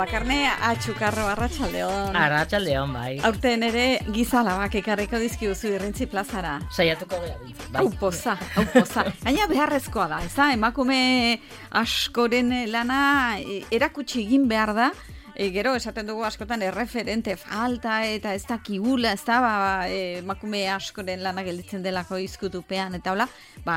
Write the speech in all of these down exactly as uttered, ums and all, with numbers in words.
Bakarne atxukarro arratsaldeon. Arratsaldeon, bai. Aurten ere gizalabak ekarriko dizkiuzu Irrintzi plazara. Saiatuko gara bintzen, bai. Hau poza, hau poza. Gaina beharrezkoa da, eza? Emakume askoren lana erakutsi egin behar da. E, gero, esaten dugu askotan erreferente falta eta ez da kigula, ez da ba, e, emakume askoren lana gelditzen delako izkutupean, eta hola, ba,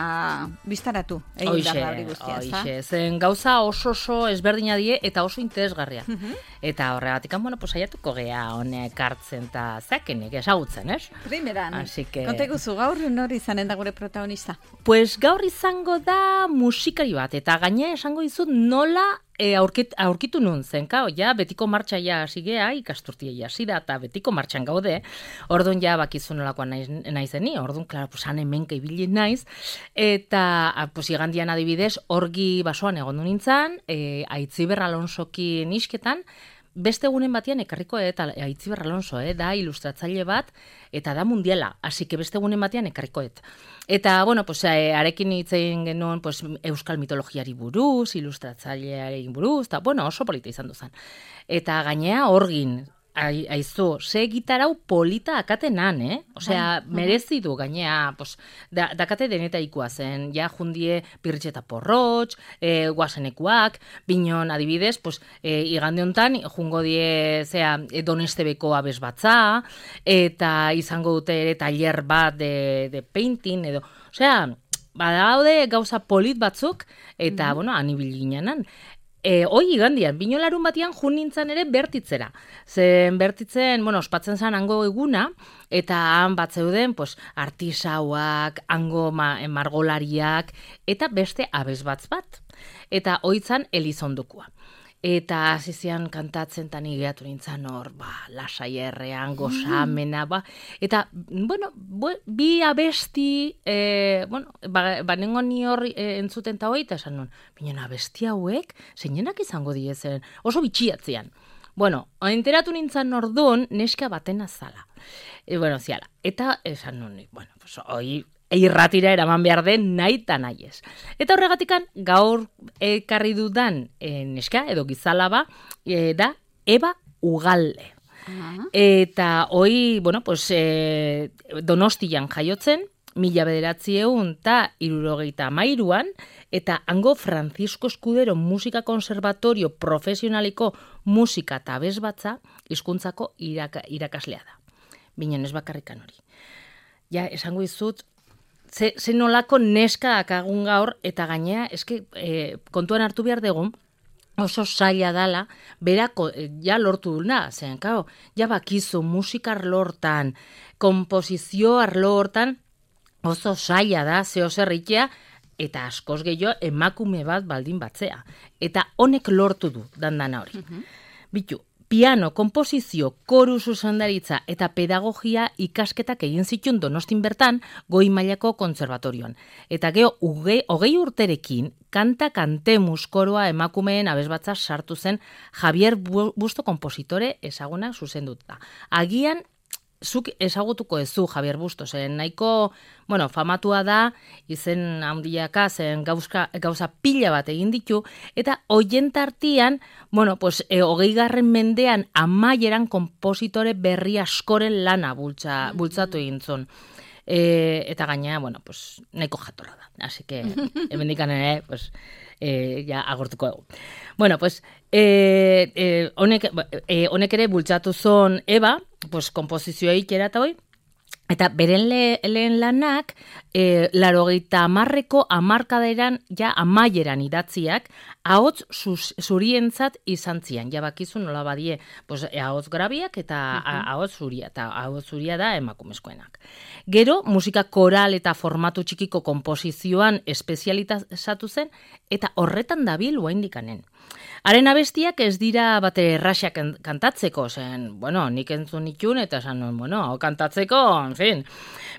biztaratu. Hoixe, hoixe. Zen gauza oso oso ezberdina die eta oso interesgarria. Uh-huh. Eta horregatik, bueno, pues saiatuko gea honek hartzen eta zakenik ezagutzen, ez? Primeran, que... konteguzu gaur nori izanen da gure protagonista? Pues gaur izango da musikari bat, eta gaine esango dizut nola E, aurkit, aurkitu nun zen, kao, ja, betiko martxa ja zigea, ikasturtia ja zira, eta betiko martxan gaude, orduan ja bakizu nolakoa naiz, naizeni, orduan, klaro, pues, han hemenka ibili naiz, eta, pues, igandian adibidez, orgi basoan egon du nintzen, e, Aitziber Alonsokin isketan, beste egunen batean ekarriko eta Aitziber Alonso, eh, da ilustratzaile bat, eta da mundiala, hasi que beste egunen batean ekarrikoet. Eta, bueno, pues, eh, arekin hitzein genuen pues, euskal mitologiari buruz, ilustratzaileari buruz, eta, bueno, oso polita izan duzan. Eta gainea orgin, Ai, aizu, ze gitarau polita akatenan, eh? Osea, merezi du gainea, pues, da, dakate denetaikoa zen, ja jundie Pirritx eta Porrotx, e, guazenekuak, binon adibidez, pues, e, igande hontan, jungo die, zea, Donestebeko abez batza, eta izango dute ere tailer bat de, de painting, edo, osea, badaude gauza polit batzuk, eta, mm-hmm. bueno, anibil ginenan. E, hoi igandian, binolarun batian jun nintzen ere bertitzera. Zen bertitzen, bueno, ospatzen zen hango eguna, eta han bat zeuden, pues, artisauak, hango ma, margolariak, eta beste abesbatz bat. Eta hoitzan Elizondukua. Eta azizian kantatzen tan igeatu nintzen hor, ba, lasai errean, gozamena, ba. Eta, bueno, bi abesti, e, bueno, ba, ba nengo ni hor e, entzuten ta hoi, eta esan nun, binen abesti hauek, zeinenak izango diezen, oso bitxiatzean. Bueno, enteratu nintzen orduan, neska baten azala. E, bueno, ziala. Eta esan nun, bueno, pues, hoi, irratira eraman behar den nahi eta nahi ez. Eta horregatikan gaur ekarri dudan e, neska edo gizalaba e, da Eba Ugalde. Uh-huh. Eta hoi, bueno, pues, e, Donostian jaiotzen, mila bederatziehun eta hirurogeita hamairuan, eta hango Francisco Escudero Musika Konservatorio Profesionaliko Musika eta Abesbatza hizkuntzako iraka, irakaslea da. Binen ez bakarrikan hori. Ja, esango dizut, Ze, ze nolako neska akagun gaur, eta gainea, eske, e, kontuan hartu behar dugu, oso zaila dala, berako, e, ja lortu duna, zen, kao, ja bakizu, musikar lortan, komposizio arlo hortan, oso zaila da, zeo zerritea, eta askoz gehiago emakume bat baldin batzea. Eta honek lortu du, dandana hori. Uh-huh. Bitu, piano, komposizio, koru zuzendaritza eta pedagogia ikasketak egin zituen Donostin bertan goi mailako kontserbatorioan. Eta geho, hogei urterekin, kanta kantemus koroa emakumeen abesbatza sartu zen Javier Busto kompositore ezaguna zuzenduta. Agian, zuk ezagutuko ezu Javier Busto, zen nahiko, bueno, famatua da, izen handiaka, zen gauzka, gauza pila bat egin ditu, eta hoien tartian, bueno, pues, e, hogei garren mendean amaieran kompositore berri askoren lana bultza, bultzatu egin zuen. E, eta gaina, bueno, pues, nahiko jatorra da. Así que, hemendikan ere, pues, e, ja agortuko dugu. Bueno, pues, e, e, honek, e, honek ere bultzatu zuen Eba, pues, kompozizioa ikera eta hoi, eta beren le, lehen lanak, e, larogeita amarreko amarkaderan, ja amaieran idatziak, ahots zurientzat izan zian. Ja bakizu nola badie, pues, ahots grabiak eta uh-huh. ahots zuria, eta ahots zuria da emakumezkoenak. Gero, musika koral eta formatu txikiko kompozizioan espezializatu zen, eta horretan dabil oraindikanen. Haren abestiak ez dira bate erraxak kantatzeko, zen, bueno, nik entzun itxun, eta esan nuen, bueno, hau kantatzeko, en fin.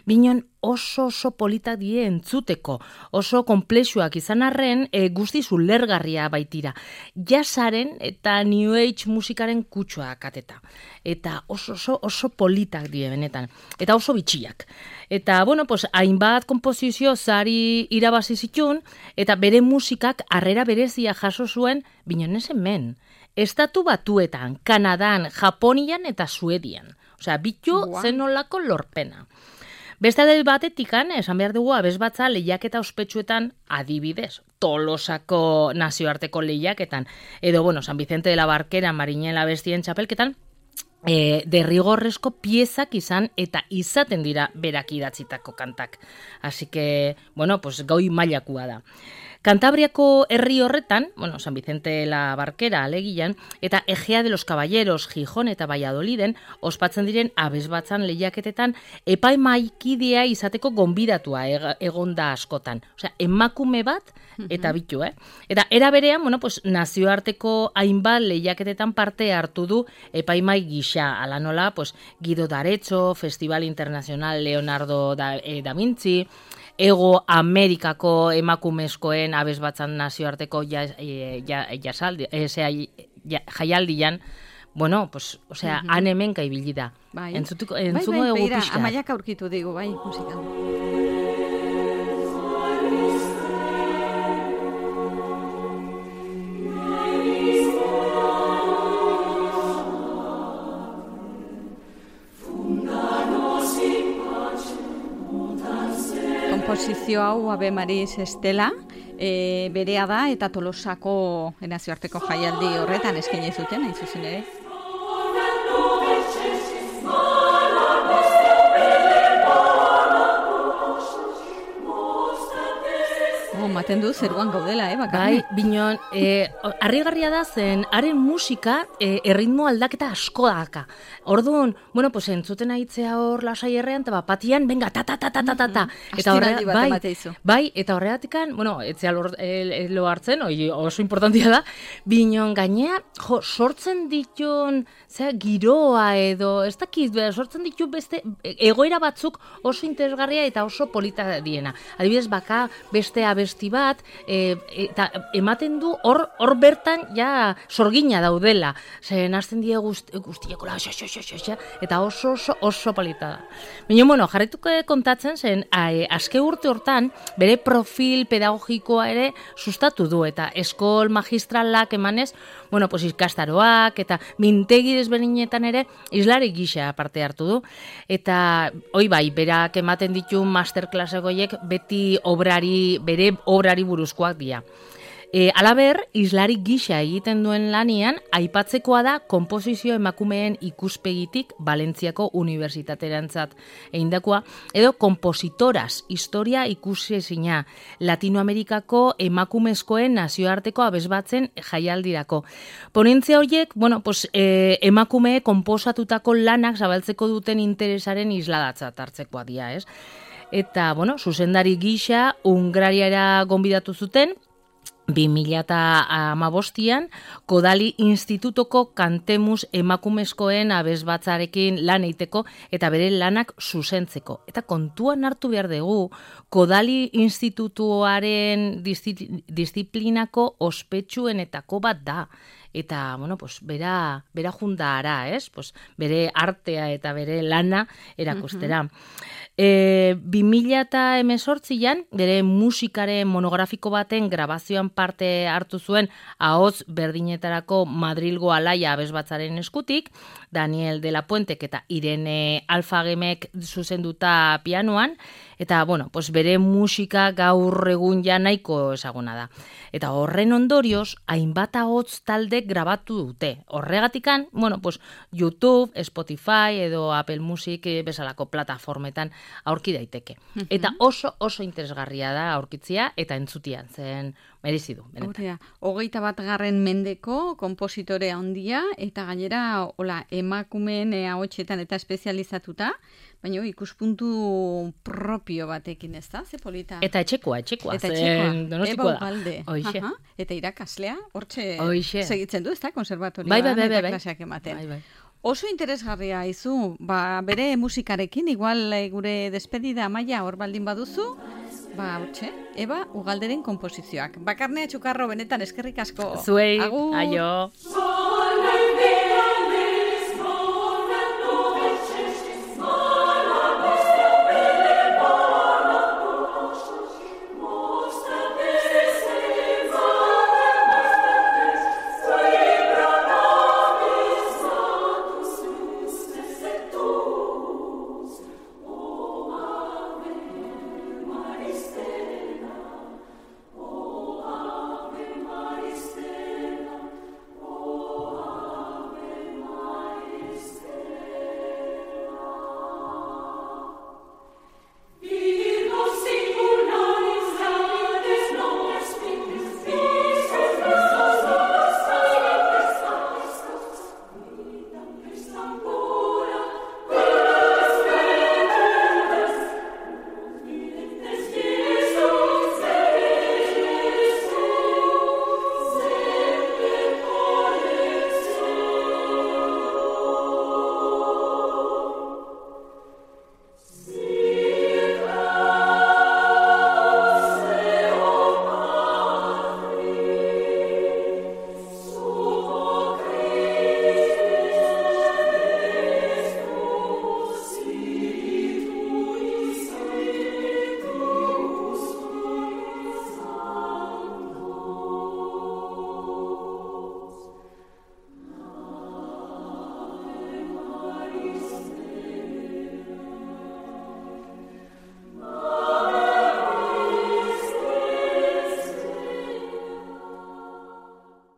Binon oso oso politak die entzuteko, oso komplexuak izan arren, e, guztiz ulergarria baitira. Jazzaren eta New Age musikaren kutsua kateta. Eta oso oso, oso politak die benetan. Eta oso bitxiak. Eta, bueno, pues, hainbat kompozizio zari irabazi zitun, eta bere musikak harrera berezia jaso zuen, binon ez hemen. Estatu Batuetan, Kanadan, Japonian eta Suedian. Osea, bitu zenolako lorpena. Beste alde batetikan, esan behar dugu abesbatza lehiaketa ospetsuetan adibidez. Tolosako nazioarteko lehiaketan, edo, bueno, San Vicente de la Barquera, Marinela abestien txapelketan, E, derrigorrezko piezak izan eta izaten dira berak idatzitako kantak. Así que, bueno, pues goi mailakua da. Kantabriako herri horretan, bueno, San Vicente de la Barquera alegian, eta Egea de los Caballeros, Gijón eta Valladoliden, ospatzen diren abesbatzan lehiaketetan epaimaikidea izateko gonbidatua egonda askotan. Osea, emakume bat eta bitu, eh? Eta era berean, bueno, pues nazioarteko hainbat lehiaketetan parte hartu du epaimai gisa, ala nola, pues Guido d'Arezzo, Festival Internacional Leonardo da, eh, da Vinci, Ego Amerikako emakumezkoen abesbatzan nazioarteko ja, ja, jasaldi, eh, ja, jaialdian, bueno, pues, o sea, uh-huh. han hemenka ibili da. Bai. Entzutuko, entzuko bai, bai, egu pixka. Amaiak aurkitu digu, bai, musikan. Komposizio hau Ave Maris Estela e, berea da eta Tolosako nazioarteko jaialdi horretan eskaini zuten, hain zuzen ere. Maten du zeruan gaudela, eh, bakarne. Bai, binon, eh, harrigarria da zen, haren musika eh, erritmo aldaketa asko daka. Orduan, bueno, pues entzuten aitzea hor lasai errean, eta bapatian, venga, ta, ta, ta, ta, ta, ta, ta. Eta horre, bai, bai, eta horregatikan, bueno, etzea lo, el, lo hartzen, oi, oso importantia da, binon gainea, jo, sortzen ditun, zera, giroa edo, ez dakit, sortzen ditu beste, egoera batzuk oso interesgarria eta oso polita diena. Adibidez, baka beste abesti bat, e, eta ematen du hor hor bertan ja sorgina daudela. Zen hasten die guzti, guztieko la, eta oso oso oso polita da. Baina, bueno, jarretuko kontatzen zen, a, azke urte hortan, bere profil pedagogikoa ere sustatu du, eta eskol magistralak emanez, bueno, pues ikastaroak, eta mintegi desberdinetan ere, islari gisa parte hartu du, eta, oi bai, berak ematen ditu masterclassegoiek beti obrari, bere obrari buruzkoak dira. E, alaber, islari gisa egiten duen lanian, aipatzekoa da konposizio emakumeen ikuspegitik Valentziako unibertsitaterantzat eindakoa, edo kompositoras, historia ikusezina, Latinoamerikako emakumezkoen nazioarteko abesbatzen jaialdirako. Ponentzia horiek, bueno, pues, e, emakume konposatutako lanak zabaltzeko duten interesaren isladatzat hartzekoa dira, ez? Eta, bueno, zuzendari gisa, Hungrariara gonbidatu zuten, bi mila hamabostian, Kodali Institutoko Kantemus emakumezkoen abesbatzarekin lan eiteko eta bere lanak zuzentzeko. Eta kontuan hartu behar dugu, Kodali Institutuaren disiplinako ospetsuenetako bat da. Eta, bueno, pues, bera, bera jundara, ez? Pues, bere artea eta bere lana erakustera. Uh-huh. E, bi mila hemezortzian, bere musikaren monografiko baten grabazioan parte hartu zuen ahots berdinetarako Madrilgo Alaia abesbatzaren eskutik, Daniel de la Puentek eta Irene Alfagemek zuzenduta pianoan, eta, bueno, pues, bere musika gaur egun ja nahiko ezaguna da. Eta horren ondorioz, hainbat ahots talde grabatu dute. Horregatikan, bueno, pues, YouTube, Spotify edo Apple Music bezalako plataformetan aurki daiteke. Uh-huh. Eta oso oso interesgarria da aurkitzia eta entzutian zen merezi du. Horrea, hogeita bat garren mendeko konpositore handia eta gainera hola emakumeen ahotsetan eta espezializatuta, baina ikuspuntu propio batekin, ez da? Ze polita. Eta etxekoa, etxekoa. Eta etxekoa. Donostikoa da. Ugalde. Aha. Eta irakaslea, hortxe Oixe. segitzen du, ez da? Konservatorioan bai, bai, bai, bai, eta klaseak ematen. Bai, bai. Oso interesgarria izu, ba, bere musikarekin, igual gure despedida Amaia hor baldin baduzu, ba, hortxe, Eba Ugalderen konposizioak. Bakarnea Txukarro benetan eskerrik asko. Zuei, agur. aio.